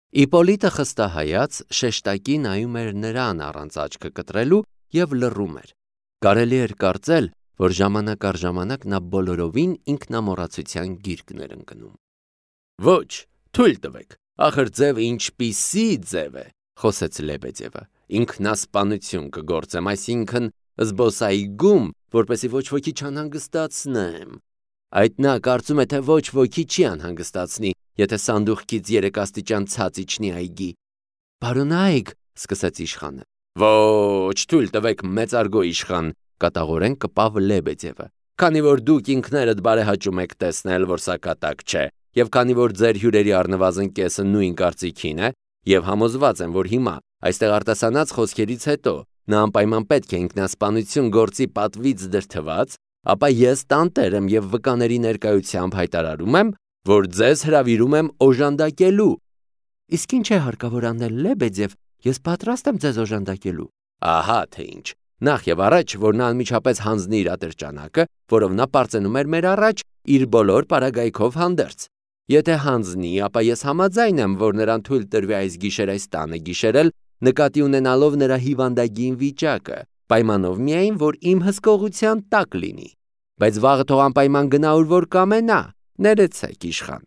Իպոլիտը խստահայաց շեշտակի նայում էր նրան առանց աչքը կտրելու և լռում էր։ Կարելի էր կարծել, որ ժամանակ առ ժամանակ նա բոլորովին ինքնամոռացության գիրկն էր ընկնում։ Ոչ, թույլ տվեք, ախր ձևը ինչպիսի ձև է, խոսեց Լեբեդևը, ինքնասպանություն կգործեմ, այսինքն զբոսայգում, որպեսզի ոչ ոքի չանհանգստացնեմ։ Այդ նա կարծում է, թե ոչ ոքի չի անհանգստացնի, եթե սանդուղքից 3 աստիճան ցած իջնի այգի։ Բարոնայք, սկսեց իշխանը։ Ոչ, թույլ տվեք, մեծարգո իշխան, կատաղորեն կպավ Լեբեդևը, քանի որ դուք ինքներդ բարեհաճում եք տեսնել, որ սա կատակ չէ, եւ քանի որ ձեր հյուրերի առնվազն կեսը նույն կարծիքին է, եւ համոզված եմ, որ հիմա այստեղ արտասանած խոսքերից հետո նա անպայման պետք է ինքնասպանություն գործի պատվից դրդված, ապա ես տանտեր եմ եւ վկաների ներկայությամբ հայտարարում եմ, որ ձեզ հրավիրում եմ օժանդակելու։ Իսկ ինչ է հարկավոր անել, Լեբեդև, ես պատրաստ եմ ձեզ օժանդակելու։ Ահա թե ինչ։ Նախ եւ առաջ, որ նա անմիջապես հանձնի իր ատրճանակը, որով նա պարծենում էր մեր առաջ իր բոլոր պարագայքով հանդերձ։ Եթե հանձնի, ապա ես համաձայն եմ, որ նրան թույլ տրվի այս գիշեր այս տանը գիշերել, նկատի ունենալով նրա հիվանդագին վիճակը, պայմանով միայն, որ իմ հսկողության տակ լինի։ Բայց վաղը թող անպայման գնա ուր որ կամենա, ներեցեք իշխան։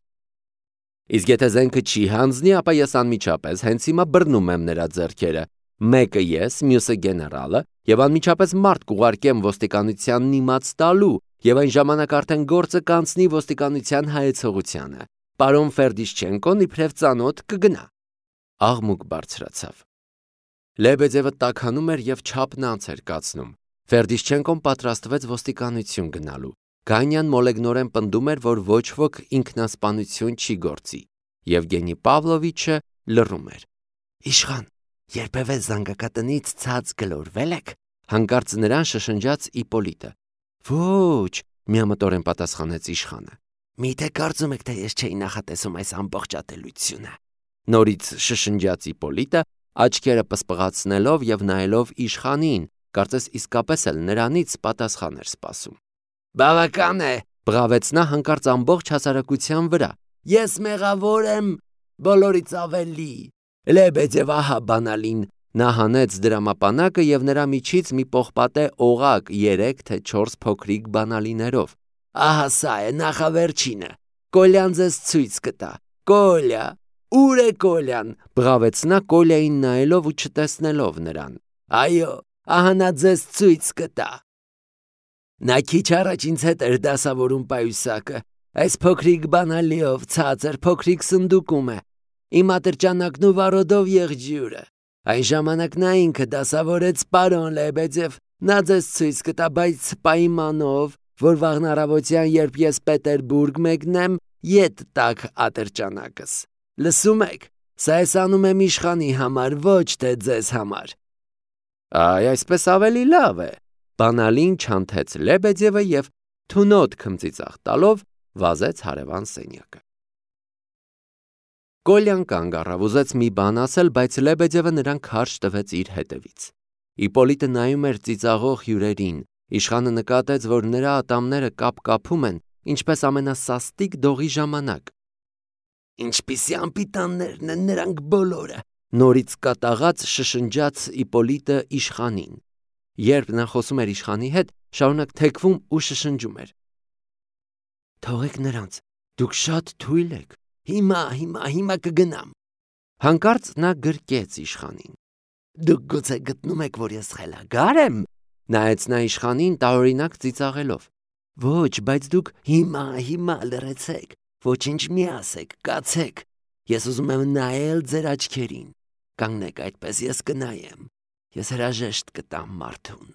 Իսկ եթե զենքը չի հանձնի, ապա ես անմիջապես հենց հիմա բռնում եմ նրա ձեռքերը, մեկը ես, մյուսը գեներալը, եւ անմիջապես մարդ կուղարկեմ ոստիկանությանն իմաց տալու, եւ այն ժամանակ արդեն գործը կանցնի ոստիկանության հայեցողությանը։ Պարոն Ֆերդիշչենկոն իբրև ծանոթ կգնա։ Աղմուկ բարձրացավ։ Լեբեդևը տաքանում էր եւ չափն անց էր կացնում։ Ֆերդիշչենկոն պատրաստվեց ոստիկանություն գնալու։ Գանյան մոլեգնորեն պնդում էր, որ ոչ ոք ինքնասպանություն չի գործի։ Եվգենի Պավլովիչը լռում էր։ Իշխան, երբևէ զանգակատնից ցած գլորվել եք, հանկարծ նրան շշնջաց Իպոլիտը։ Ոչ, միամտորեն պատասխանեց իշխանը։ Միթե կարծում եք, թե ես չէի նախատեսում այս ամբողջ ատելությունը։ Նորից շշնջաց Իպոլիտը, աչքերը պսպղացնելով եւ նայելով իշխանին, կարծես իսկապես էլ նրանից պատասխան էր սպասում։ Բավական է, բղավեց նա հանկարծ ամբողջ հասարակության վրա։ Ես մեղավոր եմ բոլորից ավելի։ Լեբեդև ահա բանալին, նա հանեց դրամապանակը եւ նրա միջից մի պողպատե օղակ 3 թե 4 փոքրիկ բանալիներով։ Ահա սա է նախավերջինը։ Կոլյան ձեզ ցույց կտա։ Կոլյա, ուր է Կոլյան, բղավեց նա Կոլյային նայելով ու չտեսնելով նրան։ Այո, ահա նա ձեզ ցույց կտա։ Նա քիչ առաջ ինձ հետ էր դասավորում պայուսակը, այս փոքրիկ բանալիով ցածր փոքրիկ սնդուկում է, իմ ատրճանակն ու վարոդով եղջյուրը, այն ժամանակ նա ինքը դասավորեց պարոն Լեբեդև, նա ձեզ ցույց կտա, բայց պայմանով, որ վաղն առավոտյան, երբ ես Պետերբուրգ մեկնեմ, ետ տաք ատրճանակս, լսում եք, սա ես անում եմ իշխանի համար, ոչ թե ձեզ համար։ Այ այսպես ավելի լավ է, բանալին չանթեց Լեբեդևը և թունոտ քմծիծաղ տալով վազեց հարևան սենյակը։ Կոլյան կանգ առավ, ուզեց մի բան ասել, բայց Լեբեդևը նրան քարշ տվեց իր հետևից։ Իպոլիտը նայում էր ծիծաղող հյուրերին, իշխանը նկատեց, որ նրա ատամները կապ-կապում են, ինչպես ամենասաստիկ դողի ժամանակ։ Ինչպիսի անպիտաններն են նրանք բոլորը, նորից կատաղած շշնջաց Իպոլիտը իշխանին։ Երբ նա խոսում էր իշխանի հետ, շարունակ թեքվում ու շշնջում էր. Թողեք նրանց, դուք շատ թույլ եք, հիմա կգնամ։ Հանկարծ նա գրկեց իշխանին։ Դուք գուցե գտնում եք, որ ես խելագար եմ, նայեց նա իշխանին տարօրինակ ծիծաղելով։ Ոչ, բայց դուք հիմա լռեցեք, ոչինչ մի ասեք, կացեք, ես ուզում եմ նայել ձեր աչքերին, կանգնեք այդպես, ես կնայեմ, ես հրաժեշտ կտամ մարդուն։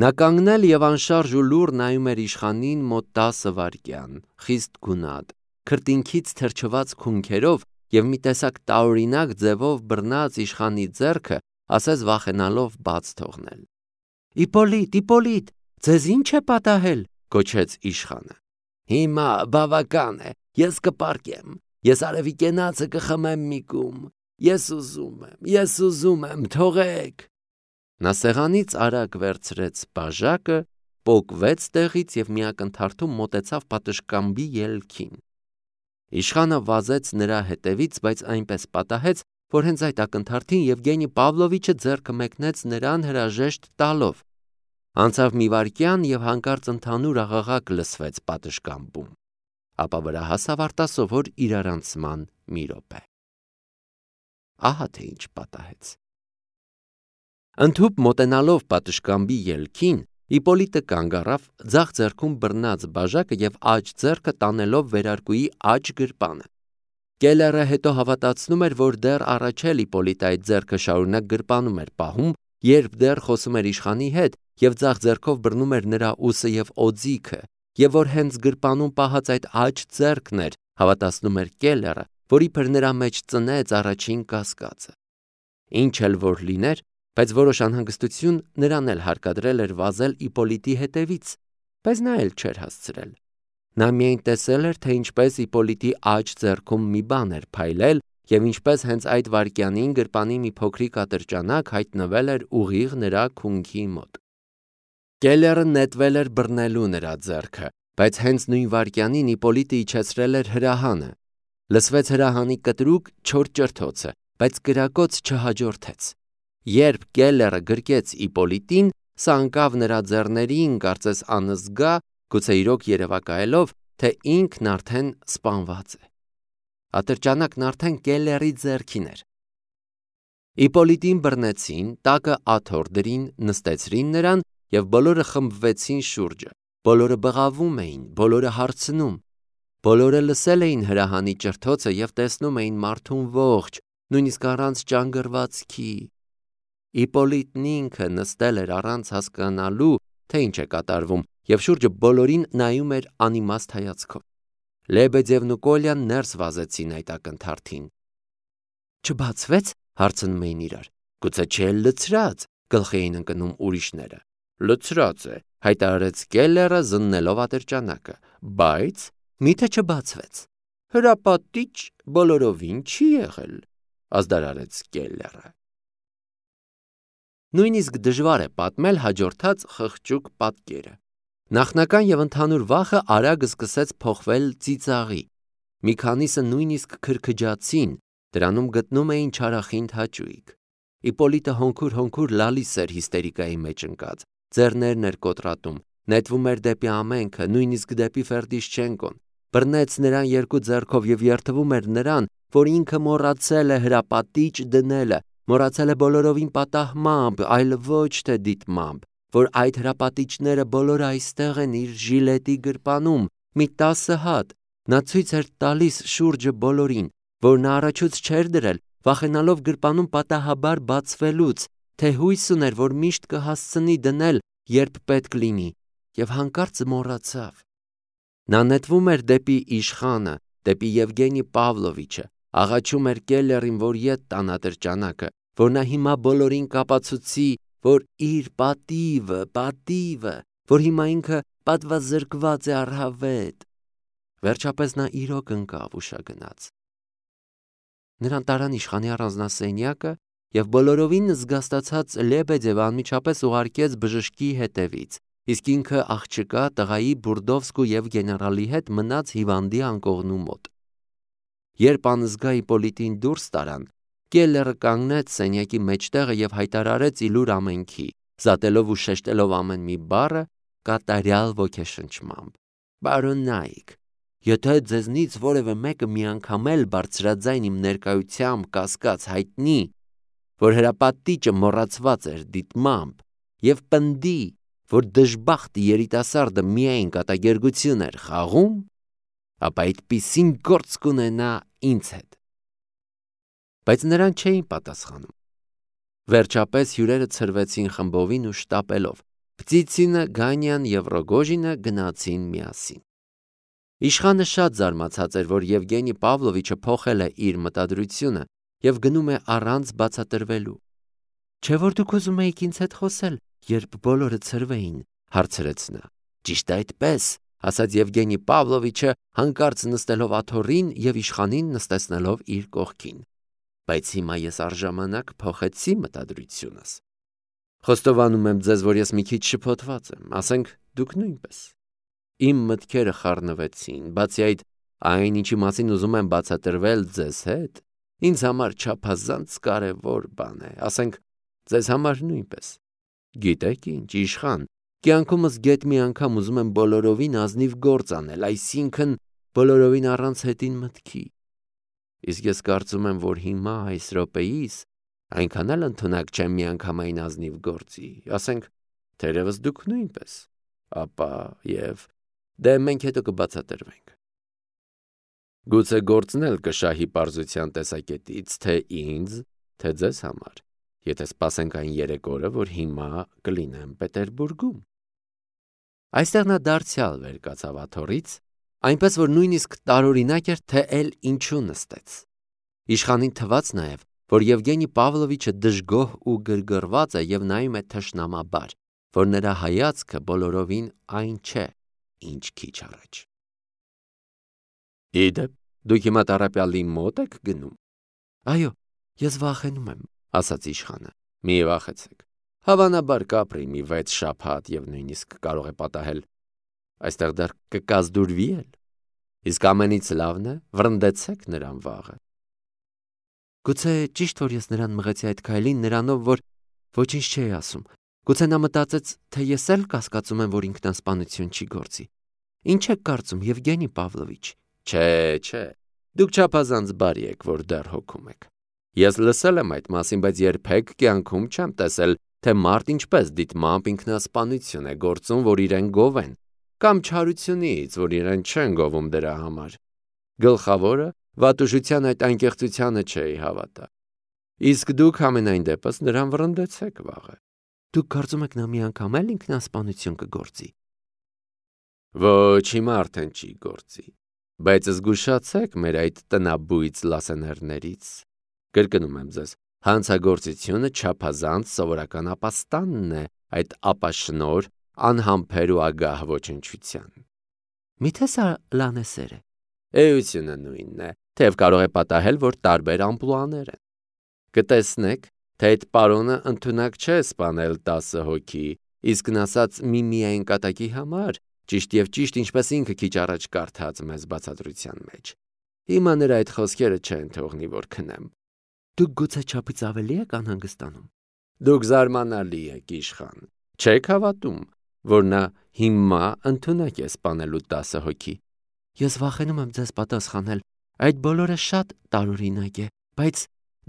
Նա կանգնել և անշարժ ու լուռ նայում էր իշխանին մոտ 10 վայրկյան, խիստ գունատ, քրտինքից թրջված քունքերով և մի տեսակ տարօրինակ ձևով բռնած իշխանի ձեռքը, ասես վախենալով բաց թողնել։ Իպոլիտ, ձեզ ինչ է պատահել, գոչեց իշխանը։ Հիմա բավական է, ես կպարկեմ, ես արևի կենացը կխմեմ մի կում, ես ուզում եմ, թողեք։ Նա սեղանից արագ վերցրեց բաժակը, պոկվեց տեղից և մի ակնթարթում մոտեցավ պատշգամբի ելքին։ Իշխանը վազեց նրա հետևից, բայց այնպես պատահեց, որ հենց այդ ակնթարթին Եվգենի Պավլովիչը ձեռքը մեկնեց նրան հրաժեշտ տալով։ Անցավ մի վայրկյան և հանկարծ ընդհանուր աղաղակ լսվեց պատշգամբում, ապա վրա հասավ արտասովոր իրարանցման մի րոպե։ Ահա թե ինչ պատահեց։ Ընդհուպ մոտենալով պատշգամբի ելքին, Իպոլիտը կանգ առավ, ձախ ձեռքում բռնած բաժակը և աջ ձեռքը տանելով վերարկուի աջ գրպանը։ Կելլերը հետո հավատացնում էր, որ դեռ առաջ էլ Իպոլիտը այդ ձեռքը շարունակ գրպանում էր պահում, երբ դեռ խոսում էր իշխանի հետ և ձախ ձեռքով բռնում էր նրա ուսը և օձիքը, և որ հենց գրպանում պահած այդ աջ ձեռքն էր, հավատացնում էր Կելլերը, որ իբր նրա մեջ ծնեց առաջին կասկածը։ Ինչ էլ որ լիներ, բայց որոշ անհանգստություն նրան էլ հարկադրել էր վազել Իպոլիտի հետևից, բայց նա էլ չէր հասցրել։ Նա միայն տեսել էր, թե ինչպես Իպոլիտի աջ ձեռքում մի բան էր փայլել և ինչպես հենց այդ վայրկյանին գրպանի մի փոքրիկ ատրճանակ հայտնվել էր ուղիղ նրա քունքի մոտ։ Կելլերը նետվել էր բռնելու նրա ձեռքը, բայց հենց նույն վայրկյանին Իպոլիտը իջեցրել էր հրահանը։ Լսվեց հրահանի կտրուկ չոր ճրթոցը, բայց կրակոց չհաջորդեց։ Երբ Կելլերը գրկեց Իպոլիտին, սա ընկավ նրա ձեռներին, կարծես անզգա, գուցե իրոք երևակայելով, թե ինքն արդեն սպանված է։ Ատրճանակն արդեն Կելլերի ձեռքին էր։ Իպոլիտին բռնեցին, տակը աթոռ դրին, նստեցրին նրան և բոլորը խմբվեցին շուրջը։ Բոլորը բղավում էին, բոլորը հարցնում։ Բոլորը լսել էին հրահանի ճրթոցը և տեսնում էին մարդուն ողջ, նույնիսկ առանց ճանգռվածքի։ Իպոլիտն ինքը նստել էր առանց հասկանալու, թե ինչ է կատարվում, և շուրջը բոլորին նայում էր անիմաստ հայացքով։ Լեբեդևն ու Կոլյան ներս վազեցին այդ ակնթարթին։ Չբացվեց, հարցնում էին իրար։ Գուցե չէ լցրած, գլխի էին ընկնում ուրիշները։ Լցրած է, հայտարարեց Կելլերը զննելով ատրճանակը, բայց միթե չբացվեց։ Հրապատիչ բոլորովին չի եղել, ազդարարեց Կելլերը։ Նույնիսկ դժվար է պատմել հաջորդած խղճուկ պատկերը։ Նախնական և ընդհանուր վախը արագ սկսեց փոխվել ծիծաղի։ Մի քանիսը նույնիսկ քրքջացին, դրանում գտնում էին չարախինդ հաճույք։ Իպոլիտը հոնքուր լալիս էր հիստերիկայի մեջ ընկած, ձեռներն էր կոտրատում, նետվում էր դեպի ամենքը, նույնիսկ դեպի Ֆերդիշչենկոն, բռնեց նրան երկու ձեռքով և երդվում էր նրան, որ ինքը մոռացել է հրապատիչ դնելը, մոռացել է բոլորովին պատահմամբ, այլ ոչ թե դիտմամբ, որ այդ հրապատիչները բոլորը այստեղ են իր ժիլետի գրպանում, մի 10 հատ։ Նա ցույց էր տալիս շուրջը բոլորին, որ նա առաջուց չէր դրել, վախենալով գրպանում պատահաբար բացվելուց, թե հույս ուներ, որ միշտ կհասցնի դնել, երբ պետք լինի, և հանկարծ մոռացավ։ Նա նետվում էր դեպի իշխանը, դեպի Եվգենի Պավլովիչը, աղաչում էր Կելլերին, որ ետ տան ատրճանակը, որ նա հիմա բոլորին կապացուցի, որ իր պատիվը, որ հիմա ինքը պատվազրկված է առհավետ։ Վերջապես նա իրոք ընկավ ու շագնաց։ Նրան տարան իշխանի առանձնասենյակը և բոլորովին զգաստացած Լեբեդևը անմիջապես ուղարկեց բժշկի հետևից, իսկ ինքը աղջկա տղայի Բուրդովսկու և գեներալի հետ մնաց հիվանդի անկողնու մոտ։ Երբ անզգա Իպոլիտին դուրս տարան, Կելլերը կանգնեց սենյակի մեջտեղը և հայտարարեց իլուր ամենքի, զատելով ու շեշտելով ամեն մի բառը կատարյալ ոգեշնչմամբ. «Պարոնայք, եթե ձեզնից որևէ մեկը մի անգամ էլ բարձրաձայն իմ ներկայությամբ կասկած հայտնի, որ հրապատիճը մոռացված էր դիտմամբ, և պնդի, որ դժբախտ երիտասարդը միայն կատակերգություն էր խաղում, ապա այդպիսին գործ կունենա ինձ հետ»։ Բայց նրան չէին պատասխանում։ Վերջապես հյուրերը ցրվեցին խմբովին ու շտապելով։ Պտիցինը, Գանյան և Ռոգոժինը գնացին միասին։ Իշխանը շատ զարմացած էր, որ Եվգենի Պավլովիչը փոխել է իր մտադրությունը և գնում է առանց բացատրվելու։ Չէ՞ որ դուք ուզում էիք ինձ հետ խոսել, երբ բոլորը ցրվեին, հարցրեց նա։ Ճիշտ է այդպես, ասաց Եվգենի Պավլովիչը, հանկարծ նստելով աթոռին և իշխանին նստեցնելով իր կողքին։ Բայց հիմա ես առժամանակ փոխեցի մտադրությունս։ Խոստովանում եմ ձեզ, որ ես մի քիչ շփոթված եմ, ասենք դուք նույնպես։ Իմ մտքերը խառնվեցին, բացի այդ, այն ինչի մասին ուզում եմ բացատրվել ձեզ հետ, ինձ համար չափազանց կարևոր բան է, ասենք ձեզ համար նույնպես։ Գիտեք ինչ, իշխան, կյանքումս գեթ մի անգամ ուզում եմ բոլորովին ազնիվ գործ անել, այսինքն բոլորովին առանց հետին մտքի։ Իսկ ես կարծում եմ, որ հիմա այս րոպեիս այնքան էլ ընդունակ չեմ միանգամայն ազնիվ գործի, ասենք թերևս դուք նույնպես, ապա և դե մենք հետո կբացատրվենք։ Գուցե գործն էլ կշահի պարզության տեսակետից, թե ինձ, թե ձեզ համար, եթե սպասենք այն 3 օրը, որ հիմա կլինեմ Պետերբուրգում։ Այստեղ նա դարձյալ վեր կացավ աթոռից, այնպես որ նույնիսկ տարօրինակ էր, թե էլ ինչու նստեց։ Իշխանին թվաց նաև, որ Եվգենի Պավլովիչը դժգոհ ու գրգռված է և նայում է թշնամաբար, որ նրա հայացքը բոլորովին այն չէ, ինչ քիչ առաջ։ Իդեպ, դուք հիմա տառապյալի մոտ եք գնում։ Այո, ես վախենում եմ, ասաց իշխանը։ Մի վախեցեք։ Հավանաբար կապրի մի 6 շաբաթ և նույնիսկ կարող է պատահել այստեղ դեռ կկազդուրվի էլ։ Իսկ ամենից լավն է, վռնդեցեք նրան վաղը։ Գուցե ճիշտ որ ես նրան մղեցի այդ քայլին նրանով, որ ոչինչ չէի ասում։ Գուցե նա մտածեց, թե ես էլ կասկածում եմ, որ ինքնասպանություն չի գործի։ Ինչ եք կարծում, Եվգենի Պավլովիչ։ Չէ, դուք չափազանց բարի եք, որ դեռ հոգում եք։ Ես լսել եմ այդ մասին, բայց երբեք կյանքում չեմ տեսել, թե մարդ ինչպես դիտմամբ ինքնասպանություն է գործում, որ իրեն գովեն, կամ չարությունից, որ իրեն չեն գովում դրա համար։ Գլխավորը վատուժության այդ անկեղծությանը չէի հավատա։ Իսկ դուք ամենայն դեպս նրան վռնդեցեք վաղը։ Դուք կարծում եք նա մի անգամ էլ ինքնասպանություն կգործի։ Ոչ, հիմա արդեն չի գործի, բայց զգուշացեք մեր այդ տնաբույծ լասեներներից։ Կրկնում եմ ձեզ, հանցագործությունը չափազանց սովորական ապաստանն է այդ ապաշնոր, անհամբեր ու ագահ ոչնչության։ Միթե սա լանեսեր է։ Էությունը նույնն է, թեև կարող է պատահել, որ տարբեր ամպլուաներ են։ Կտեսնեք, թե այդ պարոնը ընդունակ չէ սպանել 10 հոգի, իսկն ասած միայն կատակի համար, ճիշտ և ճիշտ, ինչպես ինքը քիչ առաջ կարդաց մեզ բացատրության մեջ։ Հիմա նրա այդ խոսքերը չեն թողնի, որ քնեմ։ Դուք գուցե չափից ավելի եք անհանգստանում։ Դուք զարմանալի եք, իշխան։ Չեք հավատում, որ նա հիմա ընդունակ է սպանելու 10 հոգի։ Ես վախենում եմ ձեզ պատասխանել, այդ բոլորը շատ տարօրինակ է, բայց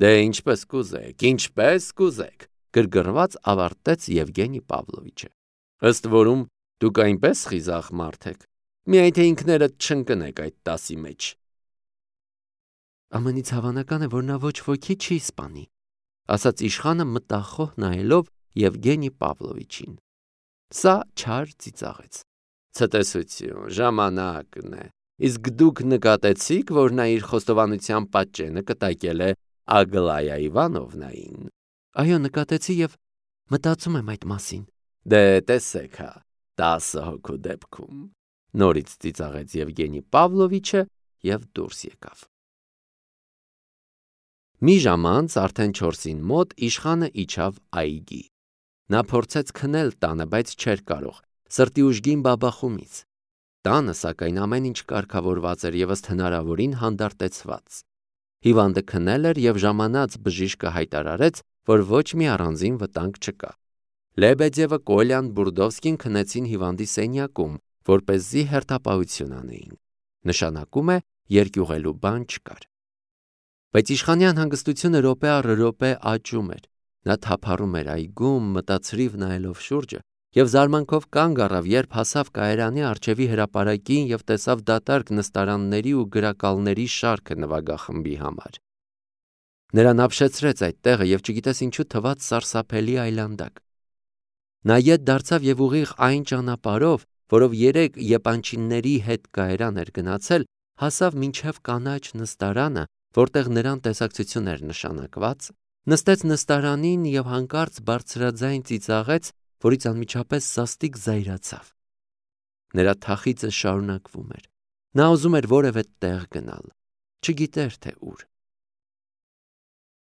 դե ինչպես կուզեք, գրգռված ավարտեց Եվգենի Պավլովիչը։ Ըստ որում դուք այնպես խիզախ մարդ եք, միայն թե ինքներդ չընկնեք այդ 10-ի մեջ։ Ամենից հավանական է, որ նա ոչ ոքի չի սպանի, ասաց իշխանը մտախոհ նայելով Եվգենի Պավլովիչին։ Սա չար ծիծաղեց։ Ցտեսություն, ժամանակն է։ Իսկ դուք նկատեցիք, որ նա իր խոստովանության պատճենը կտակել է Ագլայա Իվանովնային։ Այո, նկատեցի և մտածում եմ այդ մասին։ Դե տեսեք հա, 10 հոգու դեպքում։ Նորից ծիծաղեց Եվգենի Պավլովիչը և դուրս եկավ։ Մի ժամ անց արդեն 4-ին մոտ իշխանը իջավ այգի։ Նա փորձեց քնել տանը, բայց չէր կարող, սրտի ուժգին բաբախումից։ Տանը, սակայն, ամեն ինչ կարգավորված էր և ըստ հնարավորին հանդարտեցված։ Հիվանդը քնել էր և ժամանած բժիշկը հայտարարեց, որ ոչ մի առանձին վտանգ չկա։ Լեբեդևը, Կոլյան, Բուրդովսկին քնեցին հիվանդի սենյակում, որպեսզի հերթապահություն անեին։ Նշանակում է երկյուղելու բան չկար։ Բայց իշխանյան հանգստությունը րոպե առ րոպե աճում էր։ Նա թափառում էր այգում, մտածրիվ նայելով շուրջը, և զարմանքով կանգ առավ, երբ հասավ կայարանի առջևի հրապարակին և տեսավ դատարկ նստարանների ու գրակալների շարքը նվագախմբի համար։ Նրան ապշեցրեց այդ տեղը և չգիտես ինչու թվաց սարսափելի այլանդակ։ Նա ետ դարձավ և ուղիղ այն ճանապարհով, որով 3 եպանչիների հետ կայարան էր գնացել, հասավ մինչև կանաչ նստարանը, որտեղ նրան տեսակցություն էր նշանակված, նստեց նստարանին և հանկարծ բարձրաձայն ծիծաղեց, որից անմիջապես սաստիկ զայրացավ։ Նրա թախիծը շարունակվում էր։ Նա ուզում էր որևէ տեղ գնալ, չգիտեր թե ուր։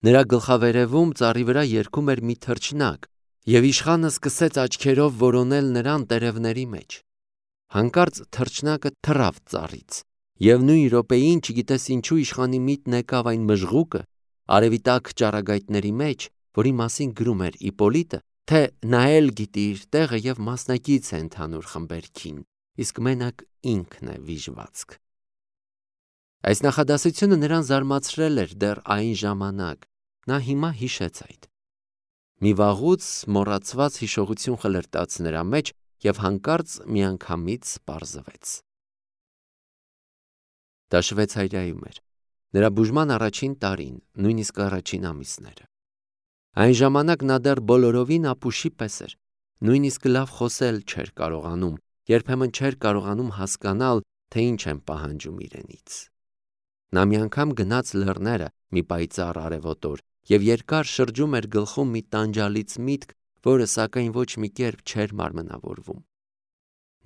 Նրա գլխավերևում ծառի վրա երգում էր մի թռչնակ, և իշխանը սկսեց աչքերով որոնել նրան տերևների մեջ։ Հանկարծ թռչնակը թռավ ծառից, Եվ նույն րոպեին չգիտես ինչու իշխանի միտն եկավ այն մժղուկը արևի տակ ճառագայթների մեջ, որի մասին գրում էր Իպոլիտը, թե նա էլ գիտի իր տեղը եւ մասնակից է ընդհանուր խմբերքին, իսկ մենակ ինքն է վիժվածք։ Այս նախադասությունը նրան զարմացրել էր դեռ այն ժամանակ, նա հիմա հիշեց այդ։ Մի վաղուց մոռացված հիշողություն խլրտաց նրա մեջ եւ հանկարծ միանգամից պարզվեց։ Դա Շվեյցարիայում էր, նրա բուժման առաջին տարին, նույնիսկ առաջին ամիսները։ Այն ժամանակ նա դեռ բոլորովին ապուշի պես էր, նույնիսկ լավ խոսել չէր կարողանում, երբեմն չէր կարողանում հասկանալ, թե ինչ են պահանջում իրենից։ Նա մի անգամ գնաց լեռները մի պայծառ արևոտ օր եւ երկար շրջում էր գլխում մի տանջալից միտք, որը սակայն ոչ մի կերպ չէր մարմնավորվում։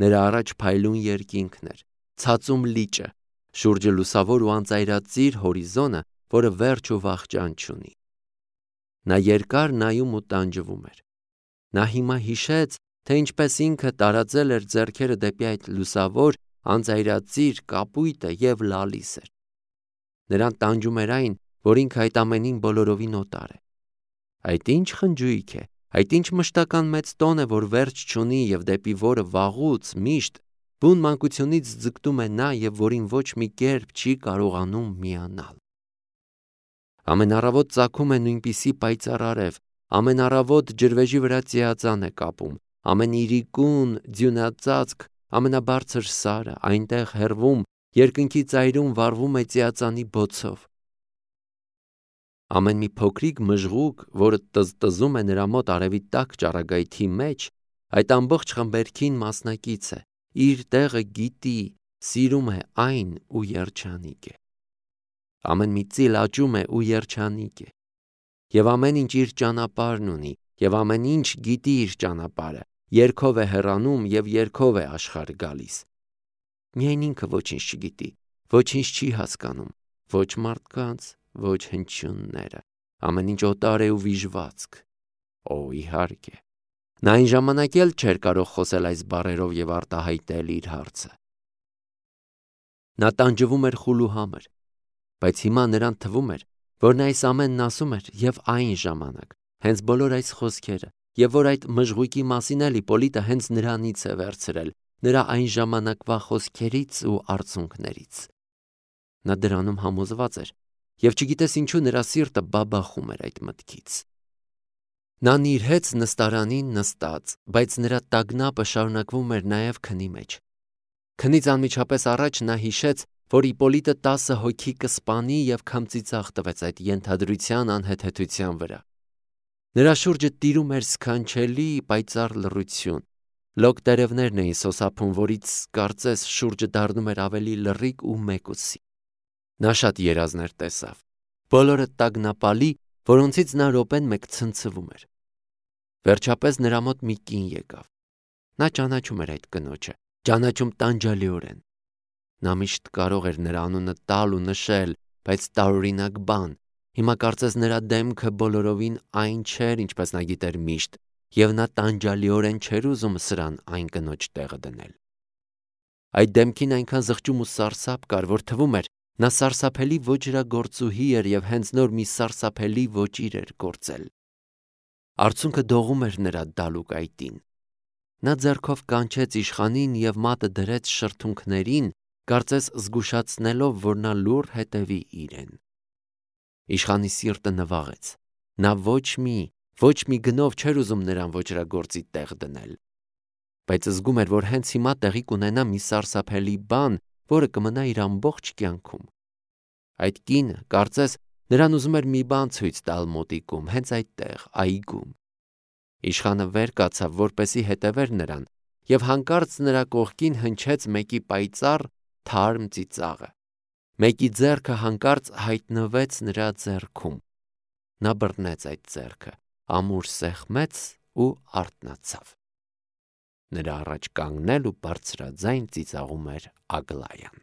Նրա առաջ փայլուն երկինքն էր, ցածում լիճը, շուրջը լուսավոր ու անծայրածիր հորիզոնը, որը վերջ ու վախճան չունի։ Նա երկար նայում ու տանջվում էր։ Նա հիմա հիշեց, թե ինչպես ինքը տարածել էր ձեռքերը դեպի այդ լուսավոր, անծայրածիր կապույտը եւ լալիս էր։ Նրան տանջում էր այն, որ ինքը այդ ամենին բոլորովին օտար է։ Այդ ինչ խնջույք է, այդ ինչ մշտական մեծ տոն է, որ վերջ չունի եւ դեպի որը վաղուց միշտ բուն մանկությունից ձգտում է նա եւ որին ոչ մի կերպ չի կարողանում միանալ։ Ամեն առավոտ ծագում է նույնպիսի պայծառ արև, ամեն առավոտ ջրվեժի վրա ծիածան է կապում, ամեն իրիկուն ձյունածածկ, ամենաբարձր սարը այնտեղ հեռվում երկնքի ծայրում վառվում է ծիածանի բոցով։ Ամեն մի փոքրիկ մժղուկ, որը տզտզում է նրա մոտ արևի տակ ճառագայթի մեջ, այդ ամբողջ խմբերքին մասնակից է, իր տեղը գիտի, սիրում է այն ու երջանիկ է։ Ամեն մի ծիլ աճում է ու երջանիկ է։ Եվ ամեն ինչ իր ճանապարհն ունի, եւ ամեն ինչ գիտի իր ճանապարհը, երգով է հեռանում եւ երգով է աշխարհ գալիս։ Միայն ինքը ոչինչ չգիտի, ոչինչ չի հասկանում, ոչ մարդկանց, ոչ հնչյունները, ամեն ինչ օտար է ու վիժվածք։ Օ, իհարկե։ Նա այն ժամանակ էլ չէր կարող խոսել այս բառերով եւ արտահայտել իր հարցը։ Նա տանջվում էր խուլուհամր, բայց հիմա նրան թվում էր, որ նա այս ամենն ասում էր եւ այն ժամանակ, հենց բոլոր այս խոսքերը, եւ որ այդ մժղուկի մասին էլ Իպոլիտը հենց նրանից է վերցրել, նրա այն ժամանակվա խոսքերից ու արցունքներից։ Նա դրանում համոզված էր, եւ չգիտես ինչու նրա սիրտը բաբախում էր այդ մտքից։ Նա նիրհեց նստարանին նստած, բայց նրա տագնապը շարունակվում էր նաեւ քնի մեջ։ Քնից անմիջապես առաջ նա հիշեց, որ Իպոլիտը 10 հոգի կսպանի եւ քմծիծաղ տվեց այդ ենթադրության անհեթեթության վրա։ Նրա շուրջը տիրում էր սքանչելի պայծառ լռություն։ Լոկ տերևներն էին սոսափում, որից կարծես շուրջը դառնում էր ավելի լռիկ ու մեկուսի։ Նա շատ երազներ տեսավ, բոլորը տագնապալի, որոնցից նա րոպեն մեկ ցնցվում էր։ Վերջապես նրա մոտ մի կին եկավ։ Նա ճանաչում էր այդ կնոջը, ճանաչում տանջալիորեն։ Նա միշտ կարող էր նրա անունը տալ ու նշել, բայց տարօրինակ բան։ Հիմա կարծես նրա դեմքը բոլորովին այն չէր, ինչպես նա գիտեր միշտ, եւ նա տանջալիորեն չէր ուզում սրան այն կնոջ տեղը դնել։ Այդ դեմքին այնքան զղջում ու սարսափ կար, որ թվում էր, նա սարսափելի ոճրագործուհի էր եւ հենց նոր մի սարսափելի ոճիր էր գործել։ Արցունքը դողում էր նրա դալուկ այտին։ Նա ձեռքով կանչեց իշխանին եւ մատը դրեց շրթունքներին, կարծես զգուշացնելով, որ նա լուռ հետևի իրեն։ Իշխանի սիրտը նվաղեց։ Նա ոչ մի գնով չէր ուզում նրան ոճրագործի տեղ դնել։ Բայց զգում էր, որ հենց հիմա տեղի կունենա մի սարսափելի բան, որը կմնա իր ամբողջ կյանքում։ Այդ կինը, կարծես, նրան ուզում էր մի բան ցույց տալ մոտիկում, հենց այդտեղ, այգում։ Իշխանը վեր կացավ, որպեսի հետևեր նրան, եւ հանկարծ նրա կողքին հնչեց մեկի պայծառ, թարմ ծիծաղը։ Մեկի ձեռքը հանկարծ հայտնվեց նրա ձեռքում։ Նա բռնեց այդ ձեռքը, ամուր սեղմեց ու արթնացավ։ Նրա առաջ կանգնել ու բարձրաձայն ծիծաղում էր Ագլայան։